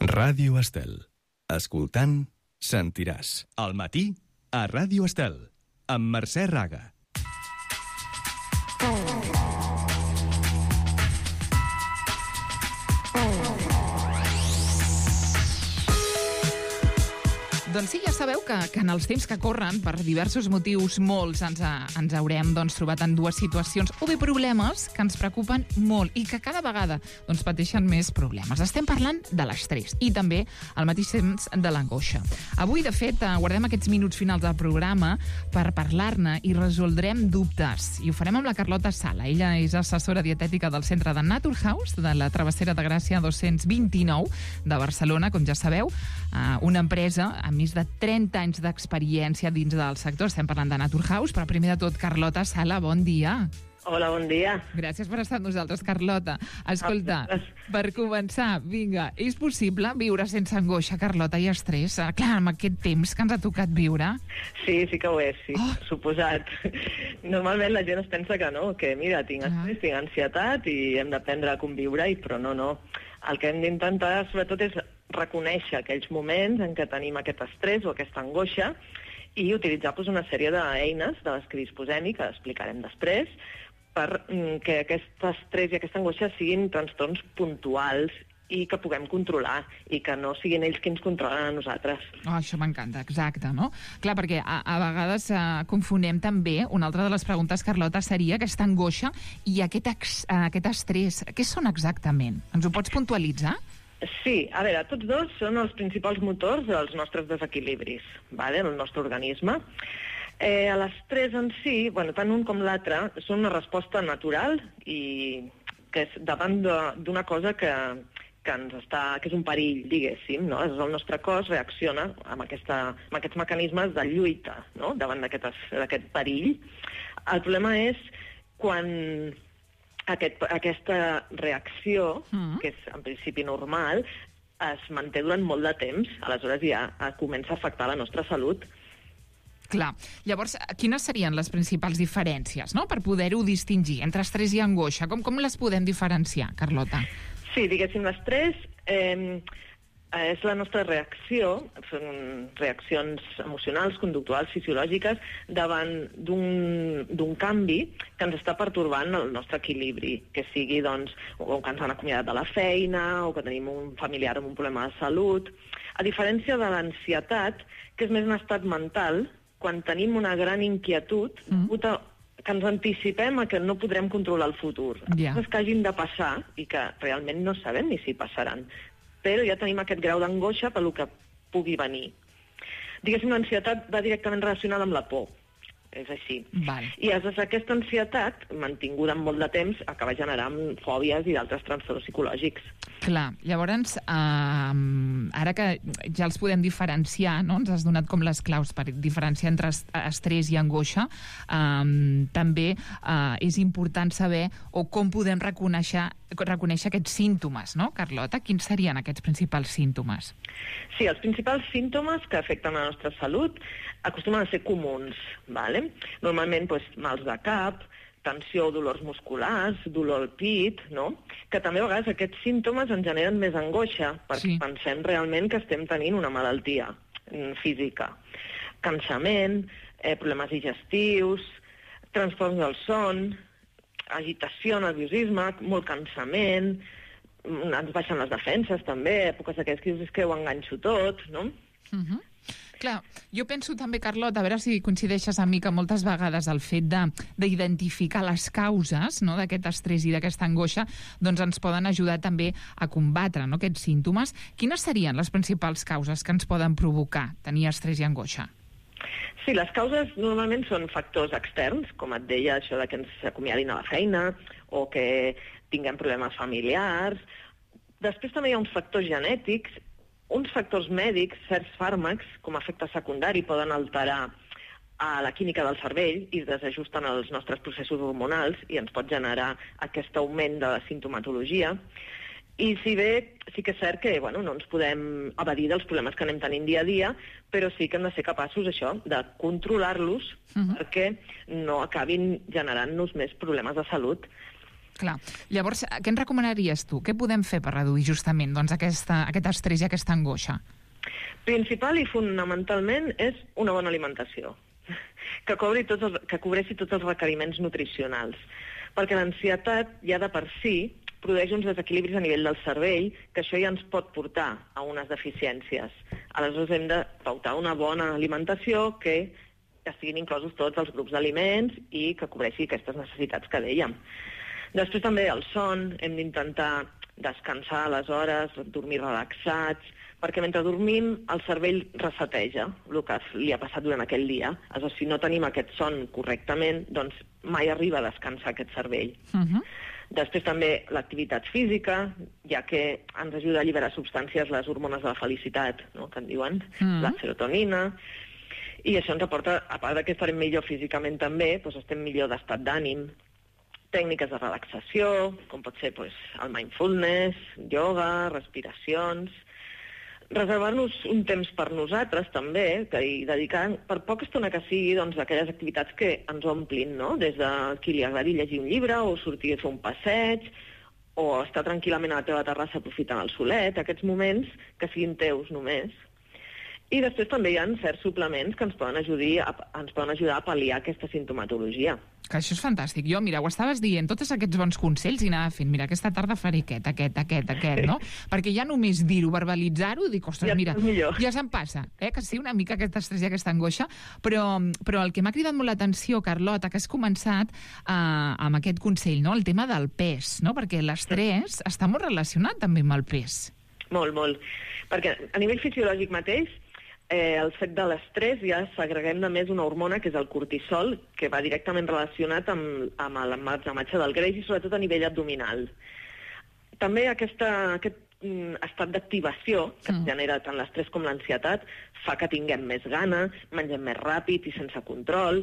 Ràdio Estel. Escoltant, sentiràs. Al matí, a Ràdio Estel, amb Mercè Raga. Doncs sí, ja sabeu que, que en els temps que corren, per diversos motius molts, ens, a, ens haurem doncs, trobat en dues situacions o bé problemes que ens preocupen molt i que cada vegada doncs, pateixen més problemes. Estem parlant de l'estrès i també al mateix temps de l'angoixa. Avui, de fet, guardem aquests minuts finals del programa per parlar-ne i resoldrem dubtes. I ho farem amb la Carlota Sala. Ella és assessora dietètica del centre de Naturhaus, de la Travessera de Gràcia dos-cents vint-i-nou de Barcelona, com ja sabeu, una empresa amb més de trenta anys d'experiència dins del sector. Estem parlant de Naturhaus, però primer de tot, Carlota Sala, bon dia. Hola, bon dia. Gràcies per estar amb nosaltres, Carlota. Escolta, per començar, vinga, és possible viure sense angoixa, Carlota, i estrès? Clar, amb aquest temps que ens ha tocat viure. Sí, sí que ho és, sí, oh. Suposat. Normalment la gent es pensa que no, que mira, tinc estrès, ah. tinc ansietat i hem d'aprendre a conviure, però no, no. El que hem d'intentar, sobretot, és reconèixer aquells moments en què tenim aquest estrès o aquesta angoixa i utilitzar doncs, una sèrie d'eines de les que disposem i que explicarem després per que aquest estrès i aquesta angoixa siguin trastorns puntuals i que puguem controlar i que no siguin ells qui ens controlen a nosaltres. Oh, això m'encanta, exacte, no? Clar, perquè a, a vegades eh, confonem també, una altra de les preguntes, Carlota, seria aquesta angoixa i aquest, ex, aquest estrès. Què són exactament? Ens ho pots puntualitzar? Sí, a veure, tots dos són els principals motors dels nostres desequilibris, vale, en el nostre organisme. Eh, l'estrès en si, bueno, tant un com l'altre, són una resposta natural i que és davant d'una cosa que, que, ens està, que és un perill, diguéssim, no? El nostre cos reacciona amb, aquesta, amb aquests mecanismes de lluita, no? Davant d'aquest perill. El problema és quan Aquest, aquesta reacció, mm. que és en principi normal, es manté durant molt de temps, aleshores ja comença a afectar la nostra salut. Clar. Llavors, quines serien les principals diferències, no?, per poder-ho distingir entre estrès i angoixa? Com, com les podem diferenciar, Carlota? Sí, diguéssim, l'estrès eh, és la nostra reacció, són reaccions emocionals, conductuals, fisiològiques, davant d'un canvi que ens està pertorbant el nostre equilibri, que sigui, doncs, o que ens han acomiadat de la feina, o que tenim un familiar amb un problema de salut. A diferència de l'ansietat, que és més un estat mental, quan tenim una gran inquietud, mm. que ens anticipem a que no podrem controlar el futur. Ja. Coses que hagin de passar i que realment no sabem ni si passaran. Però ja tenim aquest grau d'angoixa per lo que pugui venir. Diguéssim, l'ansietat va directament relacionada amb la por. És així. Val. I aleshores aquesta ansietat, mantinguda en molt de temps, acaba generant fòbies i d'altres trastorns psicològics. Clar, llavors, eh, ara que ja els podem diferenciar, no? Ens has donat com les claus per diferenciar entre estrès i angoixa, eh, també eh, és important saber o com podem reconèixer, reconèixer aquests símptomes, no, Carlota? Quins serien aquests principals símptomes? Sí, els principals símptomes que afecten la nostra salut acostumen a ser comuns, ¿vale? Normalment, doncs, mals de cap, tensió o dolors musculars, dolor al pit, no? Que també a vegades aquests símptomes ens generen més angoixa, perquè sí. pensem realment que estem tenint una malaltia física. Cansament, eh, problemes digestius, trastorns del son, agitació, nerviosisme, molt cansament, ens baixen les defenses també, èpoques d'aquestes que dius que ho enganxo tot, no? Uh-huh. Clar, jo penso també, Carlota, a veure si coincideixes amb mi, que moltes vegades el fet d'identificar les causes, no, d'aquest estrès i d'aquesta angoixa doncs ens poden ajudar també a combatre, no, aquests símptomes. Quines serien les principals causes que ens poden provocar tenir estrès i angoixa? Sí, les causes normalment són factors externs, com et deia, això de que ens acomiadin a la feina o que tinguem problemes familiars. Després també hi ha uns factors genètics, uns factors mèdics, certs fàrmacs, com a efecte secundari, poden alterar a la química del cervell i desajusten els nostres processos hormonals i ens pot generar aquest augment de la sintomatologia. I si bé sí que és cert que bueno, no ens podem evadir dels problemes que anem tenint dia a dia, però sí que hem de ser capaços, això, de controlar-los uh-huh. perquè no acabin generant-nos més problemes de salut. Clar. Llavors, què ens recomanaries tu? Què podem fer per reduir justament doncs, aquesta, aquest estrès i aquesta angoixa? Principal i fonamentalment és una bona alimentació, que, cobri tots els, que cobreixi tots els requeriments nutricionals, perquè l'ansietat ja de per si produeix uns desequilibris a nivell del cervell, que això ja ens pot portar a unes deficiències. Aleshores hem de pautar una bona alimentació que estiguin inclosos tots els grups d'aliments i que cobreixi aquestes necessitats que dèiem. Després també el son, hem d'intentar descansar a les hores, dormir relaxats, perquè mentre dormim el cervell reseteja el que li ha passat durant aquell dia. Aleshores, si no tenim aquest son correctament, doncs mai arriba a descansar aquest cervell. Uh-huh. Després també l'activitat física, ja que ens ajuda a alliberar substàncies, les hormones de la felicitat, no?, que en diuen, uh-huh. la serotonina, i això ens aporta, a part que estarem millor físicament també, doncs estem millor d'estat d'ànim. Tècniques de relaxació, com pot ser doncs, el mindfulness, yoga, respiracions. Reservar-nos un temps per nosaltres també, que hi dedicar per poca estona que sigui doncs, aquelles activitats que ens omplin, no? Des de qui li agradi llegir un llibre o sortir a fer un passeig o estar tranquil·lament a la teva terrassa aprofitant el solet, aquests moments que siguin teus només. I després també hi ha certs suplements que ens poden ajudar a, ens poden ajudar a pal·liar aquesta sintomatologia. Que això és fantàstic. Jo, mira, ho estaves dient, tots aquests bons consells i anava fent, mira, aquesta tarda faré aquest, aquest, aquest, aquest, no? Perquè ja només dir-ho, verbalitzar-ho, dic, ostres, ja mira, ja se'm passa, eh? Que sí, una mica aquest estrès i aquesta angoixa, però, però el que m'ha cridat molt l'atenció, Carlota, que has començat eh, amb aquest consell, no? El tema del pes, no? Perquè l'estrès està molt relacionat també amb el pes. Molt, molt. Perquè a nivell fisiològic mateix, Eh, el fet de l'estrès ja s'agreguem de més una hormona que és el cortisol, que va directament relacionat amb, amb l'emmagatzematge del greix i sobretot a nivell abdominal. També aquesta, aquest mm, estat d'activació que mm. genera tant l'estrès com l'ansietat fa que tinguem més gana, mengem més ràpid i sense control,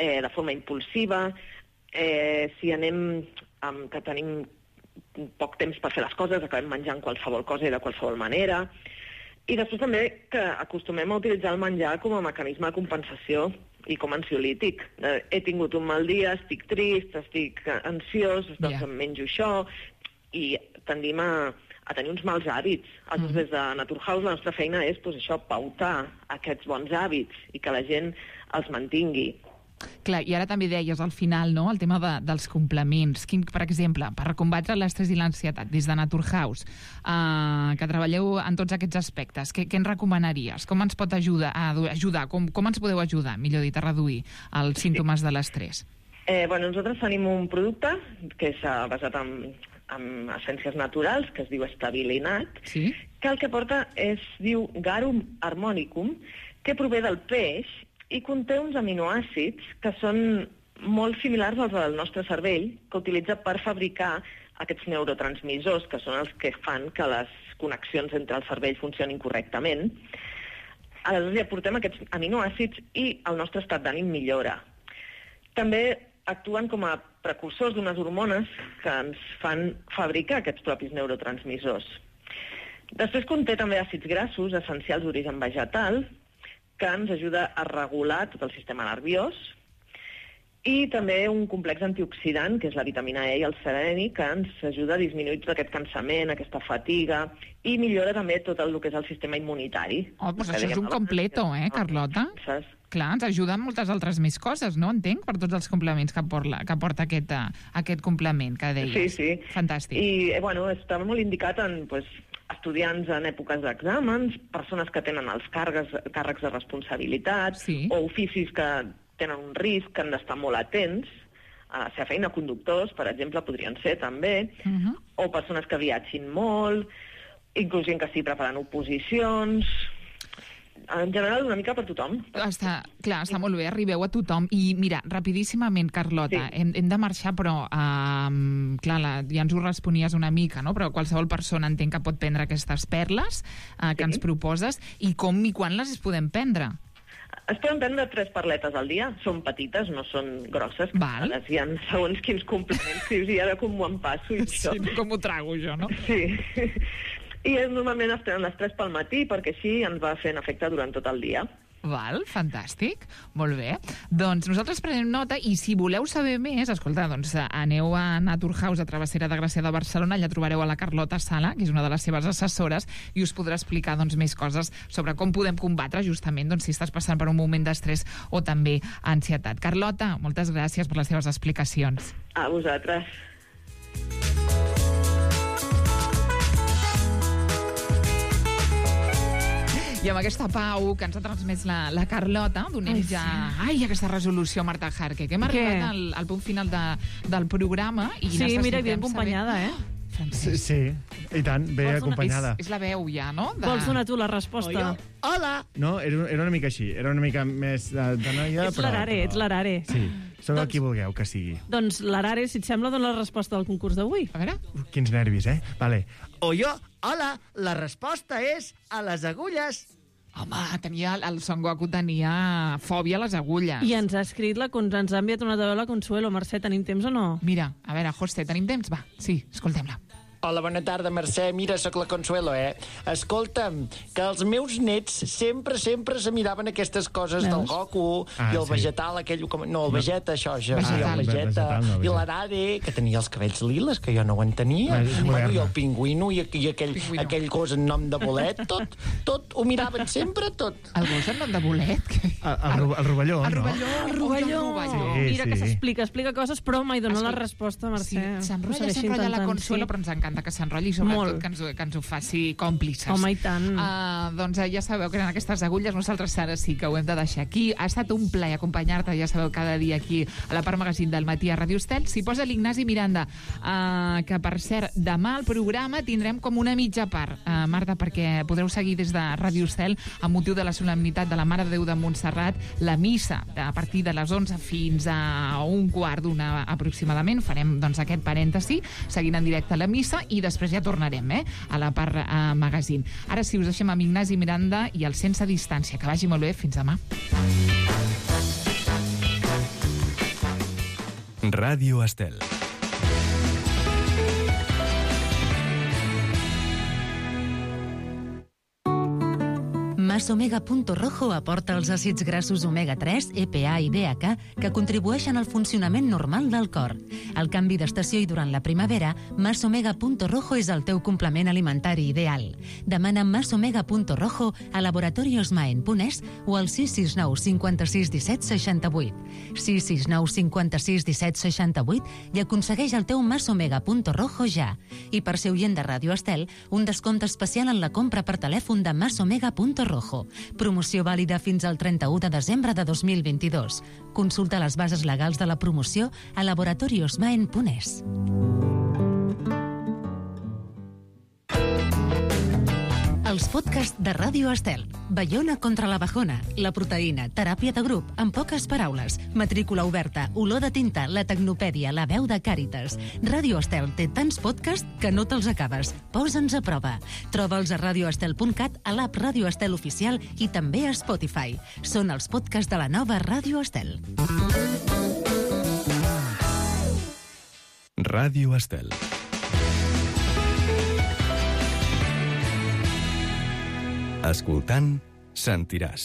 eh, de forma impulsiva. Eh, si anem amb, que tenim poc temps per fer les coses, acabem menjant qualsevol cosa i de qualsevol manera. I després també que acostumem a utilitzar el menjar com a mecanisme de compensació i com ansiolític. He tingut un mal dia, estic trist, estic ansiós, doncs yeah. em menjo això, i tendim a, a tenir uns mals hàbits. Aleshores, mm. des de Naturhaus la nostra feina és pues, això, pautar aquests bons hàbits i que la gent els mantingui. Clar, i ara també deies al final, no?, el tema de, dels complements. Quin, per exemple, per combatre l'estrès i l'ansietat, des de Naturhaus, eh, que treballeu en tots aquests aspectes, què, què ens recomanaries? Com ens pot ajudar? A ajudar? Com, com ens podeu ajudar, millor dit, a reduir els símptomes de l'estrès? Eh, bueno, nosaltres tenim un producte que és uh, basat en, en essències naturals, que es diu Stabilinat, sí? que el que porta es diu Garum harmonicum, que prové del peix i conté uns aminoàcids que són molt similars als del nostre cervell, que utilitza per fabricar aquests neurotransmissors, que són els que fan que les connexions entre el cervell funcionin correctament. Aleshores ja portem aquests aminoàcids i el nostre estat d'ànim millora. També actuen com a precursors d'unes hormones que ens fan fabricar aquests propis neurotransmissors. Després conté també àcids grassos essencials d'origen vegetal, que ens ajuda a regular tot el sistema nerviós, i també un complex antioxidant, que és la vitamina E i el seleni, que ens ajuda a disminuir tot aquest cansament, aquesta fatiga, i millora també tot el que és el sistema immunitari. Oh, doncs això és un completo, eh, Carlota? Clar, ens ajuda amb moltes altres més coses, no? Entenc, per tots els complements que porta, que porta aquest, aquest complement que deies. Sí, sí. Fantàstic. I, bueno, està molt indicat en pues, estudiants en èpoques d'exàmens, persones que tenen els càrrecs, càrrecs de responsabilitat, sí. o oficis que tenen un risc, que han d'estar molt atents a la seva feina, conductors, per exemple, podrien ser també, uh-huh. o persones que viatgin molt, inclús gent que estigui preparant oposicions. En general, una mica per tothom. Està, clar, està molt bé, arribeu a tothom. I mira, rapidíssimament, Carlota, sí. hem, hem de marxar, però uh, clar, la, ja ens ho responies una mica, no? Però qualsevol persona entenc que pot prendre aquestes perles uh, que sí. ens proposes, i com i quan les podem prendre? Es poden prendre tres perletes al dia, són petites, no són grosses, Val. que hi ha segons quins complements, i ara com m'ho empasso i sí, això. Com ho trago jo, no? Sí. I normalment es prenen les tres pel matí perquè així ens va fent efecte durant tot el dia. Val, fantàstic, molt bé. Doncs nosaltres prenem nota i si voleu saber més, escolta, doncs aneu a Naturhaus, a Travessera de Gràcia de Barcelona, allà trobareu a la Carlota Sala, que és una de les seves assessores, i us podrà explicar doncs, més coses sobre com podem combatre justament doncs, si estàs passant per un moment d'estrès o també ansietat. Carlota, moltes gràcies per les teves explicacions. A vosaltres. I amb aquesta pau que ens ha transmès la, la Carlota, donem ai, ja sí. ai, aquesta resolució a Marta Jarque, que hem arribat al, al punt final de, del programa i sí, mira, ben acompanyada, saber... eh? Sí, sí, i tant, bé acompanyada. És, és la veu ja, no? De... Vols donar tu la resposta? Oh, hola! No, era, era una mica així, era una mica més de, de noia, ets però... l'Arare, ets l'Arare. Sí, sóc doncs, el qui vulgueu que sigui. Doncs l'Arare, si et sembla, dona la resposta del concurs d'avui. A veure. Uh, quins nervis, eh? Vale. O jo, hola, la resposta és a les agulles. Home, tenia, el Son Goku tenia fòbia a les agulles. I ens ha escrit la, ens ha enviat una de la Consuelo. Mercè, tenim temps o no? Mira, a veure, José, tenim temps? Va, sí, escoltem-la. Hola, bona tarda, Mercè. Mira, sóc la Consuelo, eh? Escolta'm, que els meus nets sempre, sempre se miraven aquestes coses Veus? del Goku ah, i el sí. vegetal, aquell... Com... No, el Vegeta, això, ja. Vegetal. El Vegeta, vegetal, no, i l'Arare, que tenia els cabells liles, que jo no ho entenia. Bueno, I el pingüino, i, i aquell, aquell gos en nom de bolet, tot, tot, ho miraven sempre, tot. El gos en nom de bolet? Que... El, el, el rovelló, el no? Rovelló, el rovelló. Sí, Mira sí. que s'explica, explica coses, però mai dona Escolta, la resposta, Mercè. Sí, s'enrotlla, s'enrotlla la Consuelo, sí. però ens encanta que s'enrotlli i sobretot que ens, que ens ho faci còmplices. Home, i tant. Uh, doncs uh, ja sabeu que eren aquestes agulles, nosaltres ara sí que ho hem de deixar aquí. Ha estat un plaer acompanyar-te, ja sabeu, cada dia aquí a la part magazín del matí a Ràdio Estel. S'hi posa l'Ignasi Miranda, uh, que per cert, demà al programa tindrem com una mitja part, uh, Marta, perquè podreu seguir des de Ràdio Estel amb motiu de la solemnitat de la Mare de Déu de Montserrat, la missa a partir de les onze fins a un quart d'una aproximadament. Farem doncs aquest parèntesi, seguint en directe la missa i després ja tornarem eh, a la part uh, magazín. Ara sí, us deixem amb Ignasi Miranda i el Sense Distància. Que vagi molt bé. Fins demà. Ràdio Estel. Masomega Punto Rojo aporta els àcids grassos omega tres, E P A i D H A que contribueixen al funcionament normal del cor. Al canvi d'estació i durant la primavera, Masomega Punto Rojo és el teu complement alimentari ideal. Demana Masomega Punto Rojo a Laboratorios Maen Punès o al sis sis nou cinquanta-sis disset seixanta-vuit. sis sis nou cinquanta-sis disset seixanta-vuit i aconsegueix el teu Masomega Punto Rojo ja. I per ser oient de Ràdio Estel, un descompte especial en la compra per telèfon de Masomega Punto Rojo. Araujo. Promoció vàlida fins al trenta-u de desembre de dos mil vint-i-dos. Consulta les bases legals de la promoció a laboratoriosmaen punt es. Els podcasts de Ràdio Estel. Baiona contra la bajona, la proteïna, teràpia de grup, en poques paraules, matrícula oberta, olor de tinta, la tecnopèdia, la veu de Càritas. Ràdio Estel té tants podcasts que no te'ls acabes. Posa'ns a prova. Troba'ls a radioestel punt cat, a l'app Ràdio Estel Oficial i també a Spotify. Són els podcasts de la nova Ràdio Estel. Ràdio Estel. Escoltant, sentiràs.